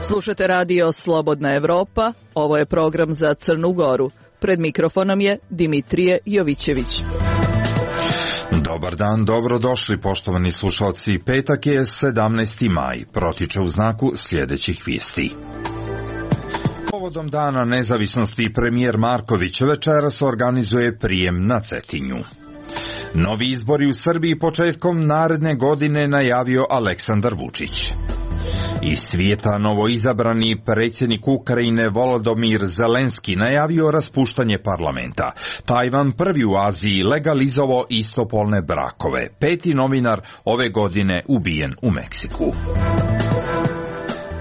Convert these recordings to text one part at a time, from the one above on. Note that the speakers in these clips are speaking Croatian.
Slušate radio Slobodna Evropa, ovo je program za Crnu Goru. Pred mikrofonom je Dimitrije Jovićević. Dobar dan, dobrodošli poštovani slušalci. Petak je 17. maj, protiče u znaku sljedećih vijesti. Povodom Dana nezavisnosti premijer Marković večeras organizuje prijem na Cetinju. Novi izbori u Srbiji početkom naredne godine najavio Aleksandar Vučić. Iz svijeta novoizabrani predsjednik Ukrajine Volodymyr Zelenski najavio raspuštanje parlamenta. Tajvan prvi u Aziji legalizovao istopolne brakove. 5. novinar ove godine ubijen u Meksiku.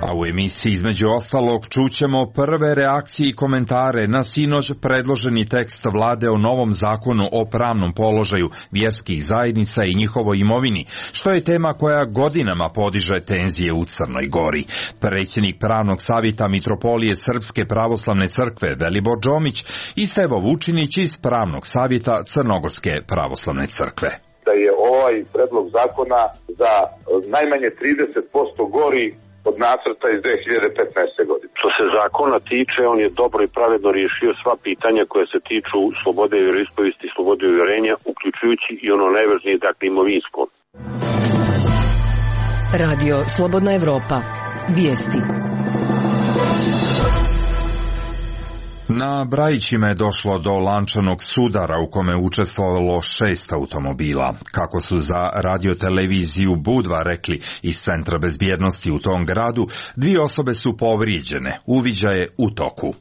A u emisiji između ostalog čućemo prve reakcije i komentare na sinoć predloženi tekst vlade o novom zakonu o pravnom položaju vjerskih zajednica i njihovoj imovini, što je tema koja godinama podiže tenzije u Crnoj Gori. Predsjednik pravnog savjeta Mitropolije Srpske pravoslavne crkve Velibor Džomić i Stevo Vučinić iz pravnog savjeta Crnogorske pravoslavne crkve. Da je ovaj predlog zakona za najmanje 30% gori od nacrta iz 2015. godine. Što se zakona tiče, on je dobro i pravedno riješio sva pitanja koje se tiču slobode vjeroispovijesti i slobode uvjerenja, uključujući i ono najvažnije, dakle, imovinsko. Radio Slobodna Evropa. Vijesti. Na Brajićima je došlo do lančanog sudara u kome je učestvovalo 6 automobila. Kako su za radioteleviziju Budva rekli iz Centra bezbjednosti u tom gradu, 2 osobe su povrijeđene, uviđaj je u toku.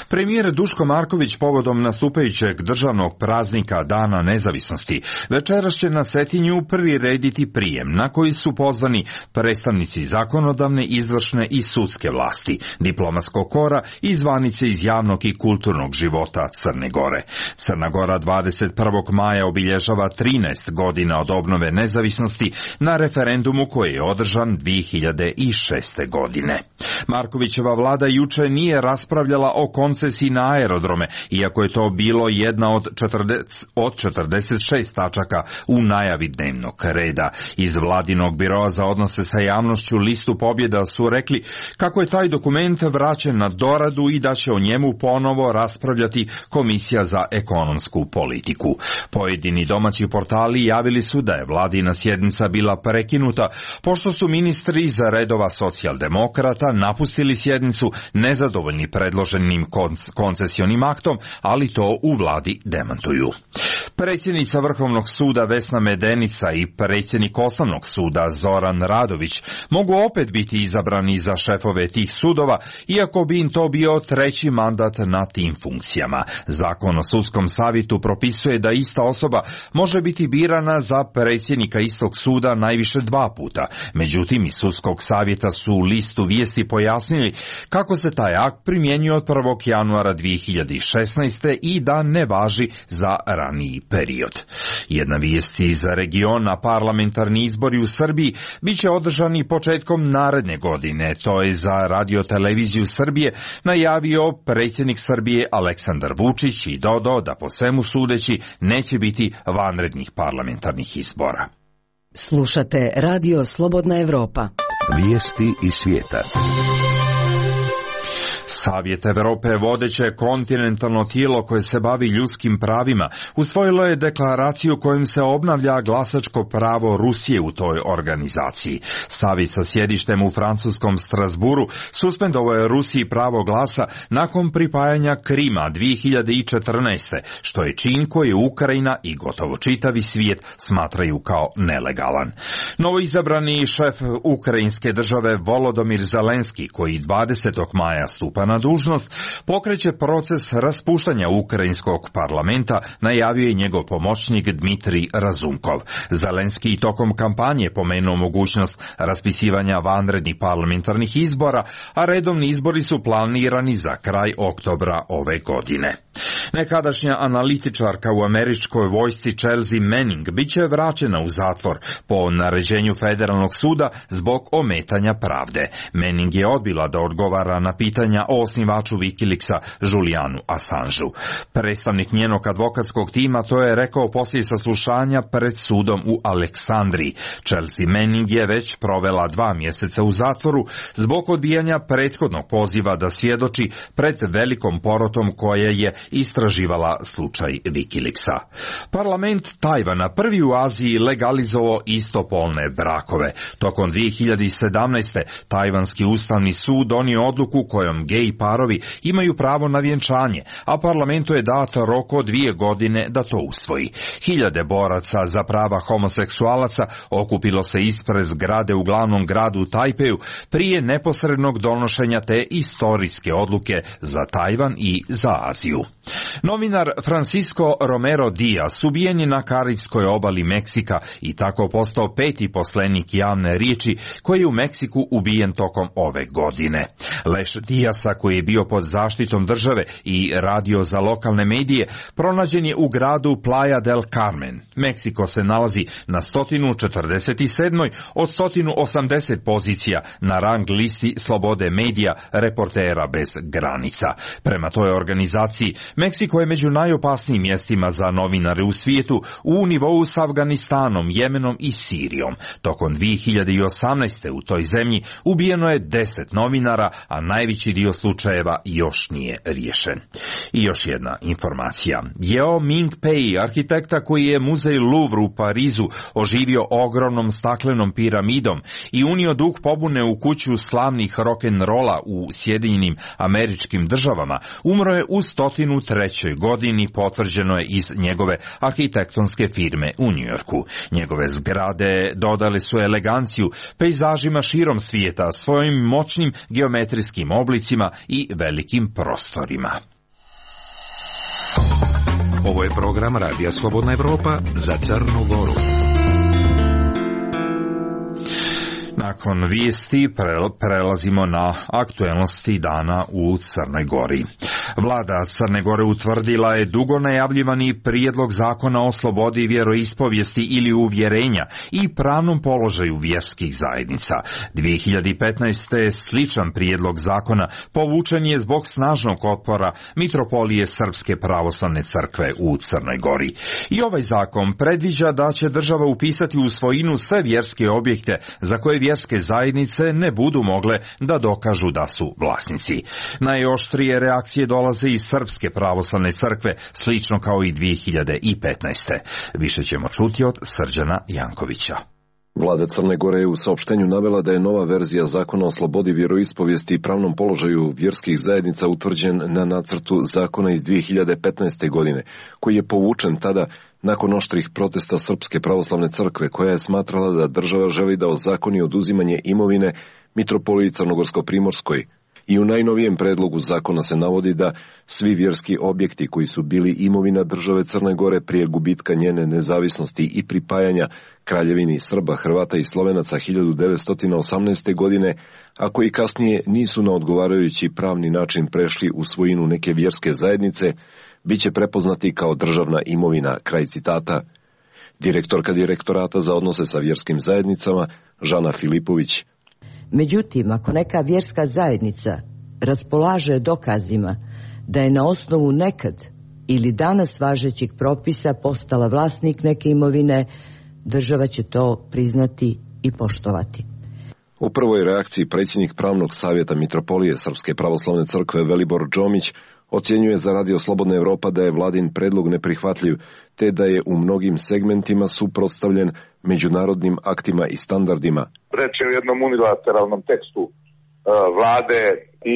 Premijer Duško Marković povodom nastupajućeg državnog praznika Dana nezavisnosti večeras će na Cetinju prirediti prijem na koji su pozvani predstavnici zakonodavne, izvršne i sudske vlasti, diplomatskog kora i zvanice iz javnog i kulturnog života Crne Gore. Crna Gora 21. maja obilježava 13 godina od obnove nezavisnosti na referendumu koji je održan 2006. godine. Markovićeva vlada juče nije raspravljala o koncesiji na aerodrome, iako je to bilo jedna od 46 tačaka u najavi dnevnog reda. Iz vladinog biroa za odnose sa javnošću Listu pobjeda su rekli kako je taj dokument vraćen na doradu i da će o njemu ponovo raspravljati Komisija za ekonomsku politiku. Pojedini domaći portali javili su da je vladina sjednica bila prekinuta pošto su ministri iz redova socijaldemokrata napustili sjednicu nezadovoljni predloženim koncesionim aktom, ali to u vladi demantuju. Predsjednica Vrhovnog suda Vesna Medenica i predsjednik Osnovnog suda Zoran Radović mogu opet biti izabrani za šefove tih sudova, iako bi im to bio 3. mandat na tim funkcijama. Zakon o sudskom savjetu propisuje da ista osoba može biti birana za predsjednika istog suda najviše 2 puta. Međutim, iz sudskog savjeta su u Listu vijesti pojasnili kako se taj akt primjenjuje od 1. januara 2016. i da ne važi za raniji period. Jedna vijest iz regiona, parlamentarni izbori u Srbiji bit će održani početkom naredne godine. To je za radioteleviziju Srbije najavio predsjednik Srbije Aleksandar Vučić i dodao da po svemu sudeći neće biti vanrednih parlamentarnih izbora. Slušate radio Slobodna Evropa. Vijesti iz svijeta. Savjet Europe, vodeće kontinentalno tijelo koje se bavi ljudskim pravima, usvojilo je deklaraciju kojom se obnavlja glasačko pravo Rusije u toj organizaciji. Savjet sa sjedištem u francuskom Strasburu suspendovao je Rusiji pravo glasa nakon pripajanja Krima 2014. što je čin koji Ukrajina i gotovo čitavi svijet smatraju kao nelegalan. Novoizabrani šef ukrajinske države Volodymyr Zelenski, koji 20. maja stupa na dužnost, pokreće proces raspuštanja ukrajinskog parlamenta, najavio je njegov pomoćnik Dmitrij Razunkov. Zelenski i tokom kampanje pomenuo mogućnost raspisivanja vanrednih parlamentarnih izbora, a redovni izbori su planirani za kraj oktobra ove godine. Nekadašnja analitičarka u američkoj vojsci Chelsea Manning biće vraćena u zatvor po naređenju federalnog suda zbog ometanja pravde. Manning je odbila da odgovara na pitanja o osnivaču Wikileaksa Julianu Assangeu. Predstavnik njenog advokatskog tima to je rekao poslije saslušanja pred sudom u Aleksandriji. Chelsea Manning je već provela 2 mjeseca u zatvoru zbog odbijanja prethodnog poziva da svjedoči pred velikom porotom koja je istraživala slučaj Wikileaksa. Parlament Tajvana prvi u Aziji legalizovao istopolne brakove. Tokom 2017. Tajvanski ustavni sud donio odluku kojom gej parovi imaju pravo na vjenčanje, a parlamentu je dat rok od 2 godine da to usvoji. Hiljade boraca za prava homoseksualaca okupilo se ispred zgrade u glavnom gradu Tajpeju prije neposrednog donošenja te istorijske odluke za Tajvan i za Aziju. Novinar Francisco Romero Diaz ubijen je na Karibskoj obali Meksika i tako postao 5. poslenik javne riječi koji je u Meksiku ubijen tokom ove godine. Leš Diaza, koji je bio pod zaštitom države i radio za lokalne medije, pronađen je u gradu Playa del Carmen. Meksiko se nalazi na 147. od 180 pozicija na rang listi slobode medija Reportera bez granica. Prema toj organizaciji, Meksiko je među najopasnijim mjestima za novinare u svijetu u nivou s Afganistanom, Jemenom i Sirijom. Tokom 2018. u toj zemlji ubijeno je 10 novinara, a najveći dio slučajeva još nije riješen. I još jedna informacija. Yeo Ming-pei, arhitekta koji je muzej Louvre u Parizu oživio ogromnom staklenom piramidom i unio duh pobune u kuću slavnih rock'n'rolla u Sjedinjenim Američkim Državama, umro je u 103. godini, potvrđeno je iz njegove arhitektonske firme u Njujorku. Njegove zgrade dodale su eleganciju pejzažima širom svijeta svojim moćnim geometrijskim oblicima i velikim prostorima. Ovo je program Radija Slobodna Evropa za Crnu Goru. Nakon vijesti prelazimo na aktuelnosti dana u Crnoj Gori. Vlada Crne Gore utvrdila je dugo najavljivani prijedlog zakona o slobodi vjeroispovijesti ili uvjerenja i pravnom položaju vjerskih zajednica. 2015. sličan prijedlog zakona povučen je zbog snažnog otpora Mitropolije Srpske pravoslavne crkve u Crnoj Gori. I ovaj zakon predviđa da će država upisati u svojinu sve vjerske objekte za koje vjerske zajednice ne budu mogle da dokažu da su vlasnici. Najoštrije reakcije dolaze iz Srpske pravoslavne crkve, slično kao i 2015. Više ćemo čuti od Srđana Jankovića. Vlada Crne Gore je u saopštenju navela da je nova verzija zakona o slobodi vjeroispovijesti i pravnom položaju vjerskih zajednica utvrđen na nacrtu zakona iz 2015. godine, koji je povučen tada nakon oštrih protesta Srpske pravoslavne crkve, koja je smatrala da država želi da ozakoni oduzimanje imovine Mitropoliji Crnogorsko-Primorskoj. I u najnovijem predlogu zakona se navodi da svi vjerski objekti koji su bili imovina države Crne Gore prije gubitka njene nezavisnosti i pripajanja Kraljevini Srba, Hrvata i Slovenaca 1918. godine, a koji kasnije nisu na odgovarajući pravni način prešli u svojinu neke vjerske zajednice, bit će prepoznati kao državna imovina, kraj citata. Direktorka Direktorata za odnose sa vjerskim zajednicama, Žana Filipović. Međutim, ako neka vjerska zajednica raspolaže dokazima da je na osnovu nekad ili danas važećih propisa postala vlasnik neke imovine, država će to priznati i poštovati. U prvoj reakciji predsjednik Pravnog savjeta Mitropolije Srpske pravoslavne crkve Velibor Džomić ocjenjuje za Radio Slobodna Evropa da je vladin predlog neprihvatljiv, te da je u mnogim segmentima suprotstavljen međunarodnim aktima i standardima. Reč je o jednom unilateralnom tekstu vlade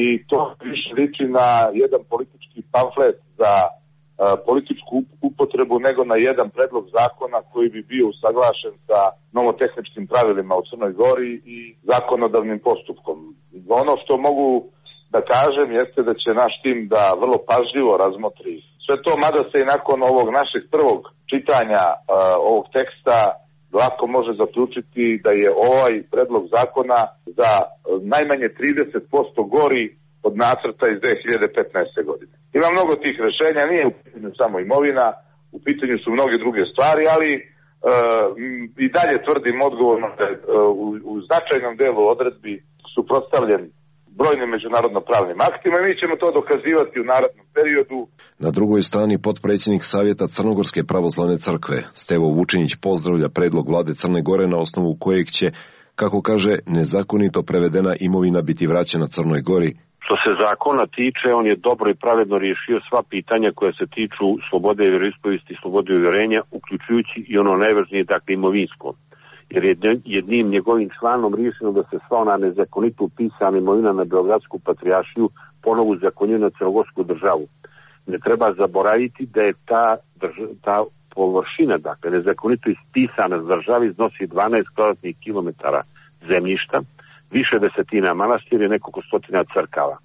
i to više liči na jedan politički pamflet za političku upotrebu nego na jedan predlog zakona koji bi bio usaglašen sa nomotehničkim pravilima u Crnoj Gori i zakonodavnim postupkom. Ono što mogu da kažem jeste da će naš tim da vrlo pažljivo razmotri sve to, mada se i nakon ovog našeg prvog čitanja ovog teksta lako može zaključiti da je ovaj predlog zakona za najmanje 30% gori od nacrta iz 2015. godine. Ima mnogo tih rešenja, nije u pitanju samo imovina, u pitanju su mnoge druge stvari, ali i dalje tvrdim odgovorno da u značajnom delu odredbi suprotstavljen brojnim međunarodno-pravnim aktima i mi ćemo to dokazivati u narednom periodu. Na drugoj strani potpredsjednik Savjeta Crnogorske pravoslavne crkve Stevo Vučinić pozdravlja predlog vlade Crne Gore na osnovu kojeg će, kako kaže, nezakonito prevedena imovina biti vraćena Crnoj Gori. Što se zakona tiče, on je dobro i pravedno riješio sva pitanja koje se tiču slobode vjeroispovijesti i slobode uvjerenja, uključujući i ono najvažnije, dakle imovinsko. Jer je jednim njegovim članom riješeno da se sva ona nezakonito upisana imovina na Beogradsku patrijaršiju ponovo uzakonjuje na crnogorsku državu. Ne treba zaboraviti da je ta površina, dakle nezakonito ispisana s državi, iznosi 12 kvadratnih kilometara zemljišta, više desetina manastira i nekoliko stotina crkava.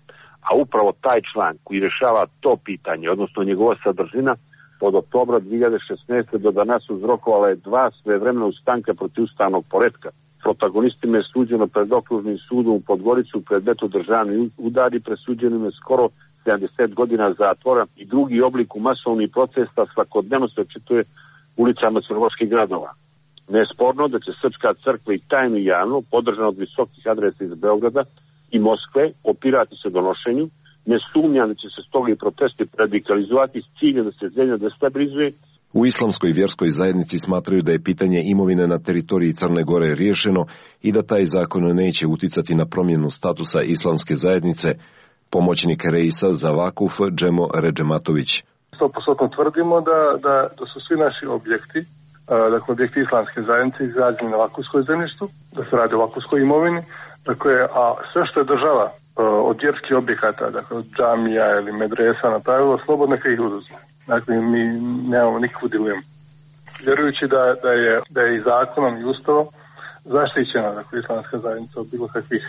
A upravo taj član koji rješava to pitanje, odnosno njegova sadržina, od oktobra 2016. do danas uzrokovala je 2 svevremena ustanka protiv ustavnog poretka. Protagonistima je suđeno pred okružnim sudom u Podgoricu predmetu državni udari, presuđenim je skoro 70 godina zatvora i drugi oblik u masovnih protesta svakodnevno se očituje ulicama crnogorskih gradova. Nesporno da će Srpska crkva i tajno i javno, podržana od visokih adresa iz Beograda i Moskve, opirati se donošenju. Ne sumnjam da će se stoga i protesti radikalizovati s ciljem da se zemlja destabilizuje. U islamskoj vjerskoj zajednici smatraju da je pitanje imovine na teritoriji Crne Gore riješeno i da taj zakon neće uticati na promjenu statusa islamske zajednice. Pomoćnik reisa za Vakuf Džemo Redžematović. 100% tvrdimo da su svi naši objekti, dakle objekti islamske zajednice izgrađeni na vakufskoj zemljištu, da se radi o vakufskoj imovini, dakle, a sve što je država od vjerskih objekata, dakle od džamija ili medresa napravilo, slobodno neka ih oduzme. Dakle, mi nemamo nikakvu dilemu. Vjerujući da je i zakonom i ustavom zaštićena, dakle, islamska zajednica od bilo kakvih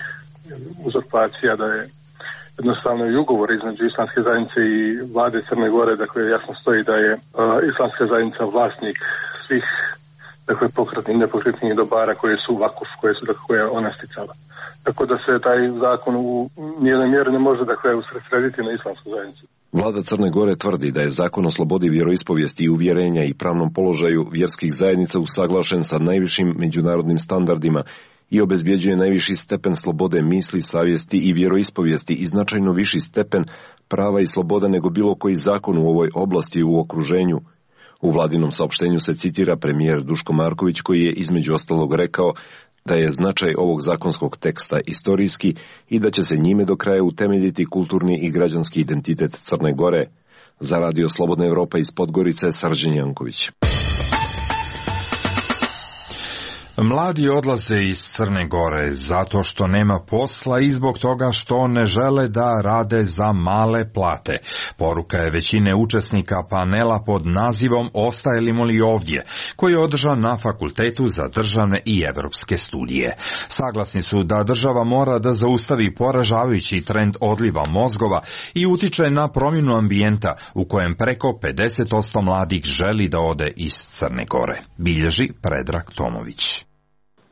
uzurpacija, da je jednostavno i ugovor između islamske zajednice i vlade Crne Gore, dakle, jasno stoji da je islamska zajednica vlasnik svih, dakle, pokretnih i nepokretnih dobara koje su vakuf, koje je ona sticala. Tako da se taj zakon u nijednoj mjeri ne može, dakle, usredsrediti na islamsku zajednicu. Vlada Crne Gore tvrdi da je zakon o slobodi vjeroispovijesti i uvjerenja i pravnom položaju vjerskih zajednica usaglašen sa najvišim međunarodnim standardima i obezbjeđuje najviši stepen slobode misli, savjesti i vjeroispovijesti i značajno viši stepen prava i sloboda nego bilo koji zakon u ovoj oblasti u okruženju. U vladinom saopštenju se citira premijer Duško Marković koji je između ostalog rekao da je značaj ovog zakonskog teksta istorijski i da će se njime do kraja utemeljiti kulturni i građanski identitet Crne Gore. Za Radio Slobodna Evropa iz Podgorice, Srđan Janković. Mladi odlaze iz Crne Gore zato što nema posla i zbog toga što ne žele da rade za male plate. Poruka je većine učesnika panela pod nazivom Ostajemo li ovdje, koji je održan na Fakultetu za državne i evropske studije. Saglasni su da država mora da zaustavi poražavajući trend odliva mozgova i utiče na promjenu ambijenta u kojem preko 50% mladih želi da ode iz Crne Gore, bilježi Predrag Tomović.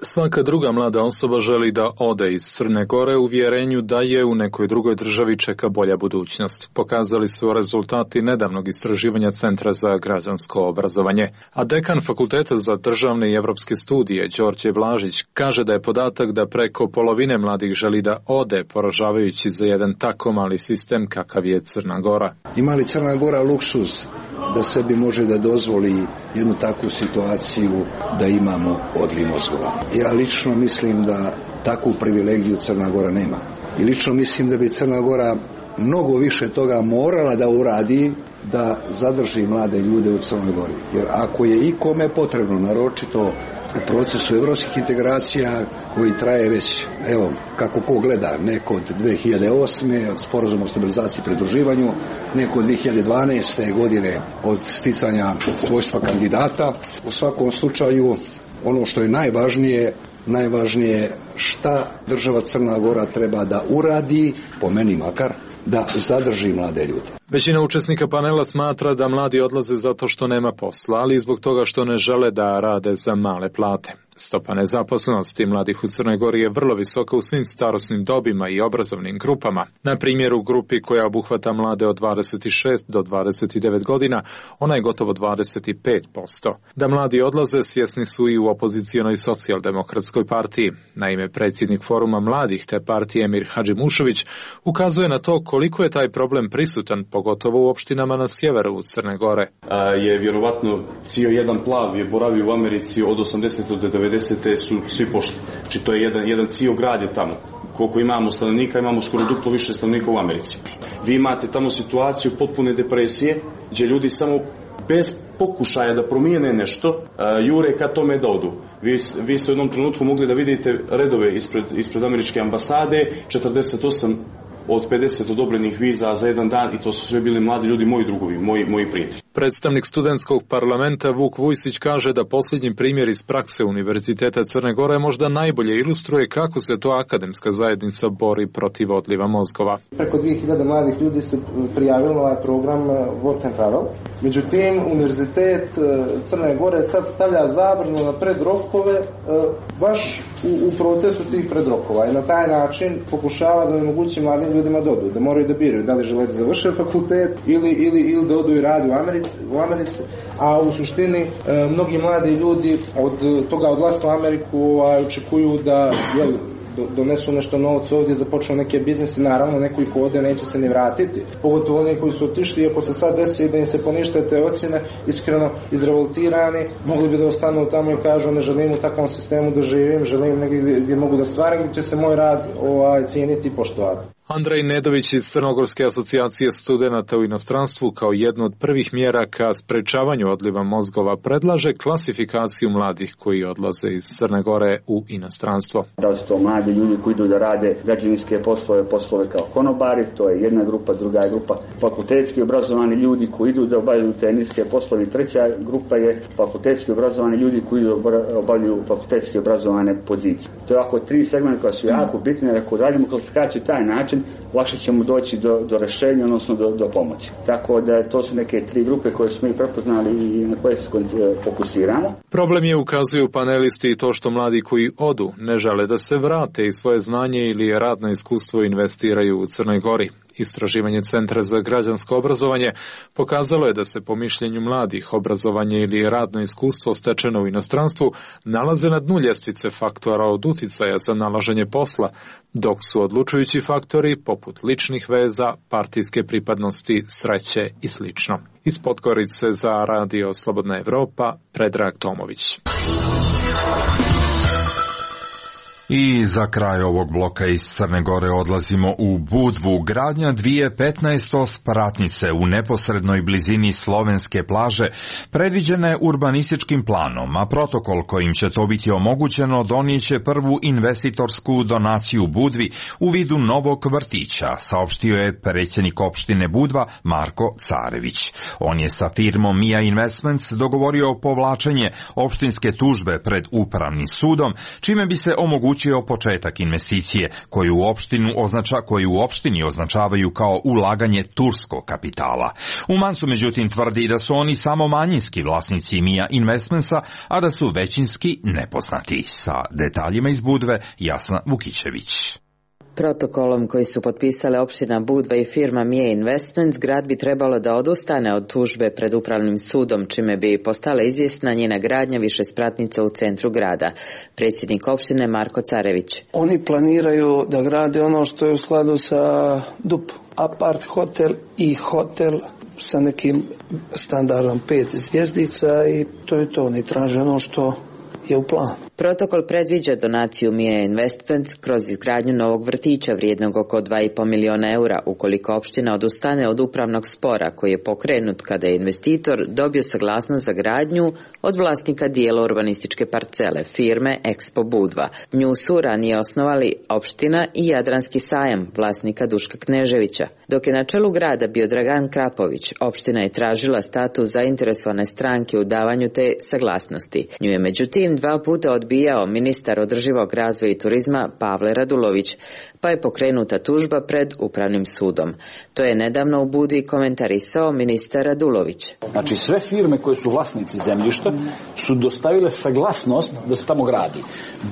Svaka druga mlada osoba želi da ode iz Crne Gore u uvjerenju da je u nekoj drugoj državi čeka bolja budućnost. Pokazali su rezultati nedavnog istraživanja Centra za građansko obrazovanje. A dekan Fakulteta za državne i evropske studije, Đorđe Blažić, kaže da je podatak da preko polovine mladih želi da ode, poražavajući za jedan tako mali sistem kakav je Crna Gora. Ima li Crna Gora luksuz da sebi može da dozvoli jednu takvu situaciju da imamo odliv mozgova? Ja lično mislim da takvu privilegiju Crna Gora nema. I lično mislim da bi Crna Gora mnogo više toga morala da uradi da zadrži mlade ljude u Crnoj Gori. Jer ako je ikome potrebno, naročito u procesu evropskih integracija koji traje već, evo, kako ko gleda, neko od 2008. od sporazuma o stabilizaciji i pridruživanju, neko od 2012. godine od sticanja svojstva kandidata. U svakom slučaju, ono što je najvažnije šta država Crna Gora treba da uradi, po meni makar, da zadrži mlade ljude. Većina učesnika panela smatra da mladi odlaze zato što nema posla, ali i zbog toga što ne žele da rade za male plate. Stopa nezaposlenosti mladih u Crnoj Gori je vrlo visoka u svim starosnim dobima i obrazovnim grupama. Na primjer, u grupi koja obuhvata mlade od 26 do 29 godina, ona je gotovo 25%. Da mladi odlaze svjesni su i u opozicionoj socijaldemokratskoj partiji. Naime, predsjednik foruma mladih te partije Emir Hadžimušović ukazuje na to koliko je taj problem prisutan, pogotovo u opštinama na sjeveru Crne Gore. Je vjerovatno cijel jedan plav je boravio u Americi od 80. do 90. su svi pošli. Znači to je jedan cijel grad je tamo. Koliko imamo stanovnika, imamo skoro duplo više stanovnika u Americi. Vi imate tamo situaciju potpune depresije, gdje ljudi samo bez pokušaja da promijene nešto, jure ka tome da odu. Vi ste u jednom trenutku mogli da vidite redove ispred američke ambasade, 48 od 50 odobrenih viza za jedan dan i to su sve bili mladi ljudi, moji drugovi, moji prijatelji. Predstavnik studentskog parlamenta Vuk Vujsić kaže da posljednji primjer iz prakse Univerziteta Crne Gore možda najbolje ilustruje kako se to akademska zajednica bori protiv odliva mozgova. Preko 2000 mladih ljudi se prijavilo na ovaj program Work and Travel. Međutim, Univerzitet Crne Gore sad stavlja zabranu na predrokove baš u procesu tih predrokova i na taj način pokušava da omogući mladim ljudima da odu, da moraju da biraju da li žele da završe fakultet ili da odu i radi u Americi, a u suštini mnogi mladi ljudi od toga odlaska u Ameriku očekuju da donesu nešto novca ovdje, započnu neke biznise, naravno neko ko ode neće se ni vratiti, pogotovo oni koji su otišli, ako se sad desi da im se ponište te ocjene, iskreno izrevoltirani, mogli bi da ostanu tamo i kažu ne želim u takvom sistemu da živim, želim negdje gdje mogu da stvaram, gdje će se moj rad cijeniti i poštovati. Andrej Nedović iz Crnogorske asocijacije studenata u inostranstvu kao jednu od prvih mjera ka sprečavanju odliva mozgova predlaže klasifikaciju mladih koji odlaze iz Crne Gore u inostranstvo. Da su to mladi ljudi koji idu da rade građevinske poslove kao konobari, to je jedna grupa, druga je grupa fakultetski obrazovani ljudi koji idu da obavljaju te niske poslove, treća grupa je fakultetski obrazovani ljudi koji idu da obavljaju fakultetski obrazovane pozicije. To je ovako tri segmenta koja su jako bitne, jer ako radimo klasifikaciju taj način, lakše ćemo doći do rješenja, odnosno do pomoći. Tako da to su neke tri grupe koje smo i prepoznali i na koje se fokusiramo. Problem je, ukazuju panelisti, i to što mladi koji odu ne žele da se vrate i svoje znanje ili radno iskustvo investiraju u Crnoj Gori. Istraživanje Centra za građansko obrazovanje pokazalo je da se po mišljenju mladih obrazovanje ili radno iskustvo stečeno u inostranstvu nalaze na dnu ljestvice faktora od uticaja za nalaženje posla, dok su odlučujući faktori poput ličnih veza, partijske pripadnosti, sreće i sl. Iz Podgorice za Radio Slobodna Evropa, Predrag Tomović. I za kraj ovog bloka iz Crne Gore odlazimo u Budvu. Gradnja 2015 spratnice u neposrednoj blizini slovenske plaže predviđena je urbanističkim planom, a protokol kojim će to biti omogućeno donijeće prvu investitorsku donaciju Budvi u vidu novog vrtića, saopštio je predsjednik opštine Budva Marko Carević. On je sa firmom Mia Investments dogovorio povlačenje opštinske tužbe pred upravnim sudom, čime bi se omogućio početak investicije koju u opštini označavaju kao ulaganje turskog kapitala. Umansu međutim tvrdi da su oni samo manjinski vlasnici Mia Investmentsa, a da su većinski nepoznati. Sa detaljima iz Budve, Jasna Vukićević. Protokolom koji su potpisale opština Budva i firma Mia Investments, grad bi trebalo da odustane od tužbe pred upravnim sudom, čime bi postala izvjesna njena gradnja višespratnica u centru grada. Predsjednik opštine Marko Carević. Oni planiraju da grade ono što je u skladu sa DUP, apart hotel i hotel sa nekim standardom 5 zvjezdica i to je to. Oni traže ono što je u planu. Protokol predviđa donaciju Mia Investments kroz izgradnju novog vrtića vrijednog oko 2,5 miliona eura ukoliko opština odustane od upravnog spora koji je pokrenut kada je investitor dobio saglasnost za gradnju od vlasnika dijela urbanističke parcele firme Expo Budva. Nju su ranije osnovali opština i Jadranski sajam vlasnika Duška Kneževića. Dok je na čelu grada bio Dragan Krapović, opština je tražila status zainteresovane stranke u davanju te saglasnosti. Nju je međutim 2 puta odbio odbijao ministar održivog razvoja i turizma Pavle Radulović, pa je pokrenuta tužba pred Upravnim sudom. To je nedavno u Budvi komentarisao ministar Radulović. Znači sve firme koje su vlasnici zemljišta su dostavile saglasnost da se tamo gradi.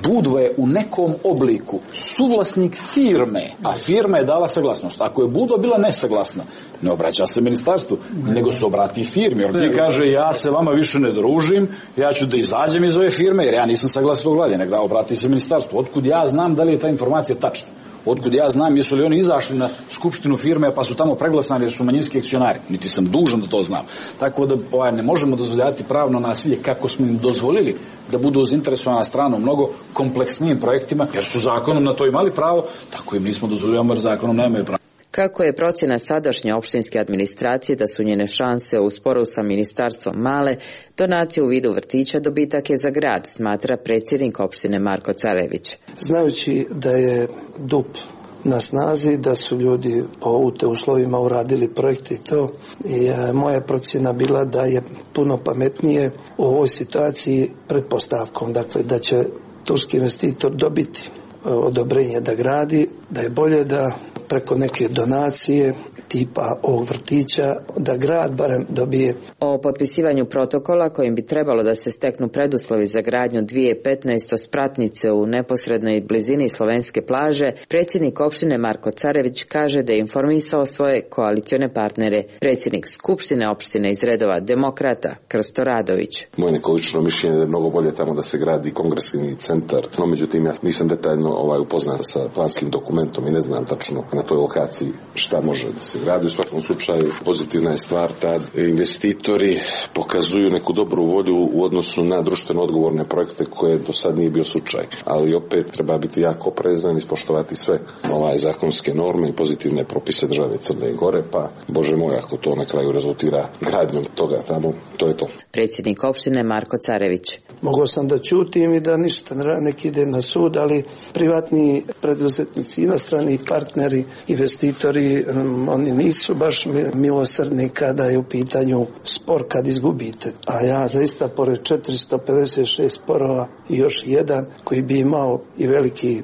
Budva je u nekom obliku suvlasnik firme, a firma je dala saglasnost. Ako je Budva bila nesaglasna, ne obraća se ministarstvu, nego se obrati firmi. Jer ti kaže, ja se vama više ne družim, ja ću da izađem iz ove firme, jer ja nisam saglasan u vladi, nego obrati se ministarstvu. Otkud ja znam da li je ta informacija tačna? Otkud ja znam jesu li oni izašli na skupštinu firme pa su tamo preglasani jer su manjinski akcionari. Niti sam dužan da to znam. Tako da ne možemo dozvoljavati pravno nasilje kako smo im dozvolili da budu zainteresovana strana u mnogo kompleksnijim projektima, jer su zakonom na to imali pravo, tako im nismo dozvoljavali jer zakonom nemaju pravo. Kako je procjena sadašnje opštinske administracije da su njene šanse u sporu sa ministarstvom male, donacija u vidu vrtića dobitak je za grad, smatra predsjednik opštine Marko Carević. Znajući da je DUP na snazi, da su ljudi po UT uslovima uradili projekte i to, moja procjena bila da je puno pametnije u ovoj situaciji pretpostavkom, dakle da će turski investitor dobiti odobrenje da gradi, da je bolje da preko neke donacije tipa ovog vrtića, da grad barem dobije. O potpisivanju protokola kojim bi trebalo da se steknu preduslovi za gradnju 2015 spratnice u neposrednoj blizini slovenske plaže, predsjednik opštine Marko Carević kaže da je informisao svoje koalicione partnere. Predsjednik skupštine opštine iz redova demokrata Krsto Radović. Moje neko lično mišljenje je mnogo bolje tamo da se gradi kongresni centar, no međutim ja nisam detaljno upoznat sa planskim dokumentom i ne znam tačno na toj lokaciji šta može da se gradi. U svakom slučaju pozitivna je stvar da investitori pokazuju neku dobru volju u odnosu na društveno odgovorne projekte koje do sad nije bio slučaj. Ali opet treba biti jako oprezan i ispoštovati sve zakonske norme i pozitivne propise države Crne Gore, pa Bože moj, ako to na kraju rezultira gradnjom toga tamo, to je to. Predsjednik opštine Marko Carević. Mogao sam da ćutim i da ništa, nek idem na sud, ali privatni preduzetnici, inostrani partneri, investitori, oni nisu baš milosrdni kada je u pitanju spor kad izgubite. A ja zaista pored 456 sporova i još jedan koji bi imao i veliki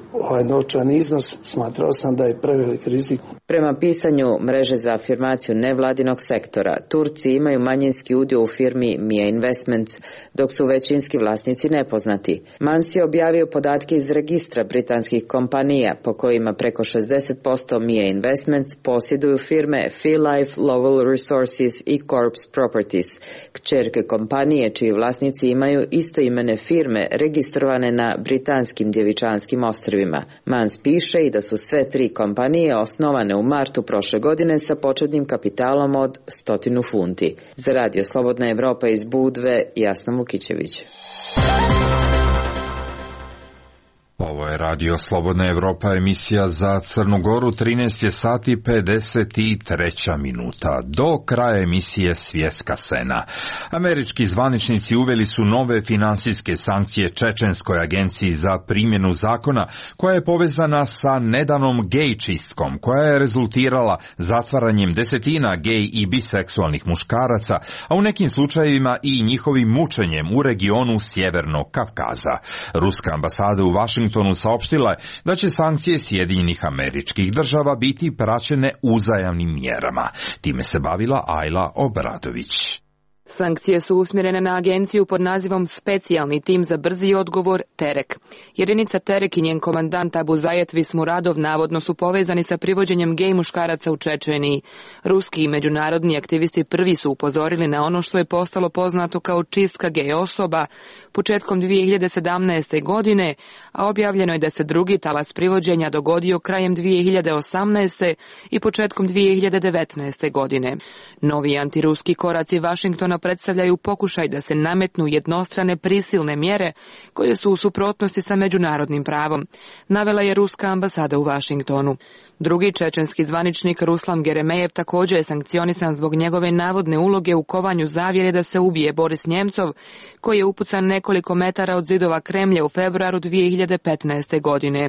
novčani iznos, smatrao sam da je prevelik rizik. Prema pisanju mreže za afirmaciju nevladinog sektora, Turci imaju manjinski udio u firmi Mia Investments, dok su većinski vlasnici nepoznati. Mans je objavio podatke iz registra britanskih kompanija po kojima preko 60% Mia Investments posjeduju firme Philife, Lovell Resources i Corps Properties, kćerke kompanije čiji vlasnici imaju istoimene firme registrovane na britanskim Djevičanskim ostrvima. Mans piše i da su sve tri kompanije osnovane u martu prošle godine sa početnim kapitalom od 100 funti. Za Radio Slobodna Evropa iz Budve, Jasna Mukićević. Ovo je Radio Slobodna Evropa, emisija za Crnu Goru, 13 je sati 53 minuta. Do kraja emisije Svjetska scena. Američki zvaničnici uveli su nove finansijske sankcije Čečenskoj agenciji za primjenu zakona, koja je povezana sa nedavnom gej čistkom, koja je rezultirala zatvaranjem desetina gej i biseksualnih muškaraca, a u nekim slučajevima i njihovim mučenjem u regionu Sjevernog Kavkaza. Ruska ambasada u Vašingtonu saopštila je da će sankcije Sjedinjenih Američkih Država biti praćene uzajamnim mjerama. Time se bavila Ajla Obradović. Sankcije su usmjerene na agenciju pod nazivom Specijalni tim za brzi odgovor Terek. Jedinica Terek i njen komandant Abu Zajet Vismuradov navodno su povezani sa privođenjem gej muškaraca u Čečeniji. Ruski i međunarodni aktivisti prvi su upozorili na ono što je postalo poznato kao čistka gej osoba početkom 2017. godine, a objavljeno je da se drugi talas privođenja dogodio krajem 2018. i početkom 2019. godine. Novi antiruski koraci Vašingtona predstavljaju pokušaj da se nametnu jednostrane prisilne mjere koje su u suprotnosti sa međunarodnim pravom, navela je ruska ambasada u Vašingtonu. Drugi čečenski zvaničnik Ruslan Geremejev također je sankcionisan zbog njegove navodne uloge u kovanju zavjere da se ubije Boris Njemcov, koji je upucan nekoliko metara od zidova Kremlja u februaru 2015. godine.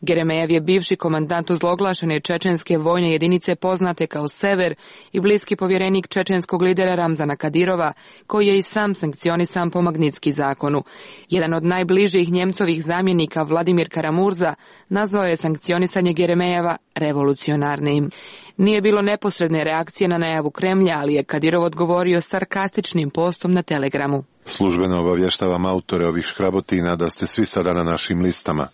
Geremejev je bivši komandant ozloglašene čečenske vojne jedinice poznate kao Sever i bliski povjerenik čečenskog lidera Ramzana Kadirova, Kadirova, koji je i sam sankcionisan po Magnitski zakonu. Jedan od najbližih Njemcovih zamjenika, Vladimir Karamurza, nazvao je sankcionisanje Jeremejeva revolucionarnim. Nije bilo neposredne reakcije na najavu Kremlja, ali je Kadirov odgovorio sarkastičnim postom na Telegramu. Službeno obavještavam autore ovih škrabotina da ste svi sada na našim listama,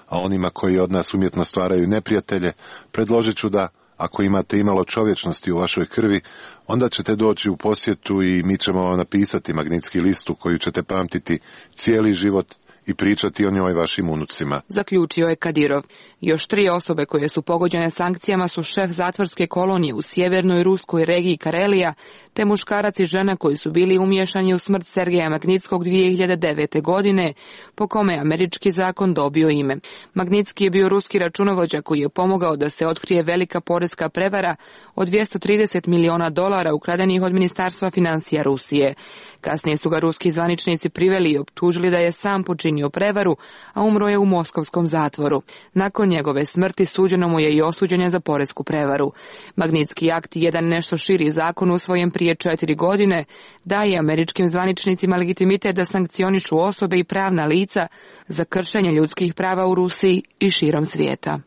a onima koji od nas umjetno stvaraju neprijatelje, predložit ću da, ako imate imalo čovječnosti u vašoj krvi, onda ćete doći u posjetu i mi ćemo vam napisati Magnitski listu koju ćete pamtiti cijeli život i pričati o njoj vašim unucima. Zaključio je Kadirov. Još 3 osobe koje su pogođene sankcijama su šef zatvorske kolonije u sjevernoj ruskoj regiji Karelija, te muškarac i žena koji su bili umiješani u smrt Sergeja Magnitskog 2009. godine, po kome je američki zakon dobio ime. Magnitski je bio ruski računovođa koji je pomogao da se otkrije velika poreska prevara od $230 miliona ukradenih od Ministarstva financija Rusije. Kasnije su ga ruski zvaničnici priveli i optužili da je sam počinio prevaru, a umro je u moskovskom zatvoru. Nakon njegove smrti suđeno mu je i osuđenje za poresku prevaru. Magnitski akt, jedan nešto širi zakon usvojen prije 4 godine, daje američkim zvaničnicima legitimitet da sankcionišu osobe i pravna lica za kršenje ljudskih prava u Rusiji i širom svijeta.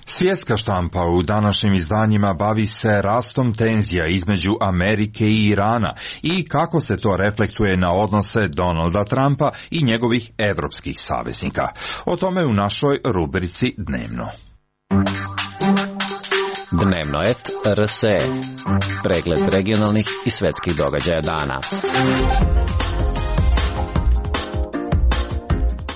Svjetska štampa u današnjim izdanjima bavi se rastom tenzija između Amerike i Irana i kako se to reflektuje na odnose Donalda Trumpa i njegovih evropskih saveznika. O tome u našoj rubrici Dnevno. Dnevno et RSE. Pregled regionalnih i svjetskih događaja dana.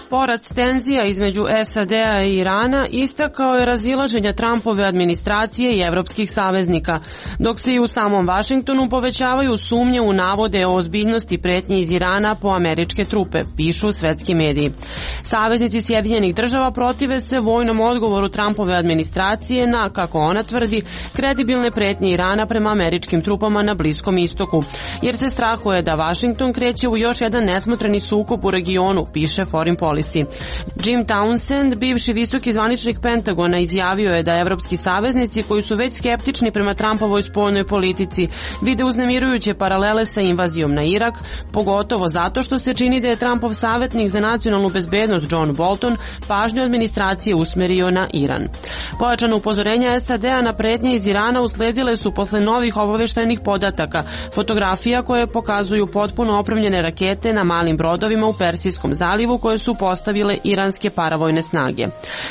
Porast tenzija između SAD-a i Irana istakao je razilaženja Trumpove administracije i evropskih saveznika, dok se i u samom Vašingtonu povećavaju sumnje u navode o ozbiljnosti pretnje iz Irana po američke trupe, pišu svetski mediji. Saveznici Sjedinjenih država protive se vojnom odgovoru Trumpove administracije na, kako ona tvrdi, kredibilne pretnje Irana prema američkim trupama na Bliskom istoku, jer se strahuje da Vašington kreće u još jedan nesmotreni sukob u regionu, piše Foreign Policy. Jim Townsend, bivši visoki zvaničnik Pentagona, izjavio je da evropski saveznici koji su već skeptični prema Trumpovoj spoljnoj politici vide uznemirujuće paralele sa invazijom na Irak, pogotovo zato što se čini da je Trumpov savjetnik za nacionalnu bezbednost John Bolton pažnju administracije usmerio na Iran. Pojačano upozorenja SAD-a na pretnje iz Irana usledile su posle novih obaveštajnih podataka, fotografija koje pokazuju potpuno opremljene rakete na malim brodovima u Persijskom zalivu koje su postavile iranske paravojne snage.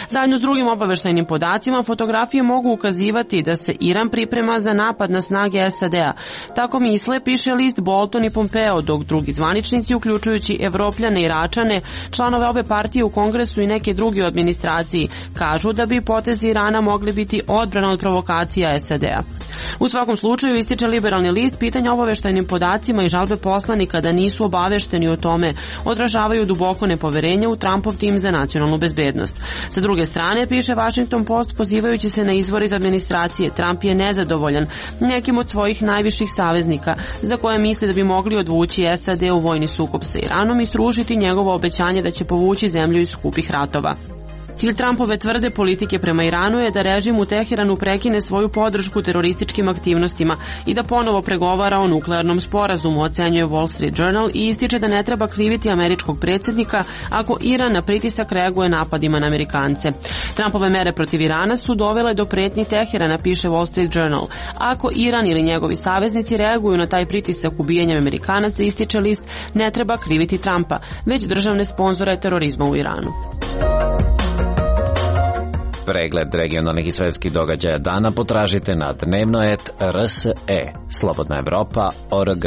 Zajedno s drugim obaveštajnim podacima, fotografije mogu ukazivati da se Iran priprema za napad na snage SAD-a. Tako misle, piše list Bolton i Pompeo, dok drugi zvaničnici, uključujući Evropljane i Iračane, članove obe partije u Kongresu i neke druge u administraciji, kažu da bi potezi Irana mogli biti odbrana od provokacija SAD-a. U svakom slučaju, ističe liberalni list, pitanja obaveštajnim podacima i žalbe poslanika da nisu obavešteni o tome odražavaju duboko nepoverenje u Trumpov tim za nacionalnu bezbednost. Sa druge strane, piše Washington Post, pozivajući se na izvor iz administracije, Trump je nezadovoljan nekim od svojih najviših saveznika, za koje misli da bi mogli odvući SAD u vojni sukob sa Iranom i srušiti njegovo obećanje da će povući zemlju iz skupih ratova. Cilj Trumpove tvrde politike prema Iranu je da režim u Teheranu prekine svoju podršku terorističkim aktivnostima i da ponovo pregovara o nuklearnom sporazumu, ocenjuje Wall Street Journal i ističe da ne treba kriviti američkog predsjednika ako Iran na pritisak reaguje napadima na Amerikance. Trumpove mere protiv Irana su dovele do pretnji Teherana, piše Wall Street Journal. Ako Iran ili njegovi saveznici reaguju na taj pritisak ubijanjem Amerikanaca, ističe list, ne treba kriviti Trumpa, već državne sponzore terorizma u Iranu. Pregled regionalnih i svjetskih događaja dana potražite na dnevno.rs.e. Slobodna Evropa.org.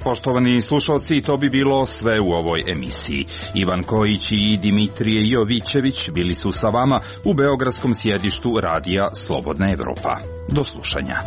Poštovani slušalci, to bi bilo sve u ovoj emisiji. Ivan Kojić i Dimitrije Jovićević bili su sa vama u beogradskom sjedištu radija Slobodna Evropa. Do slušanja.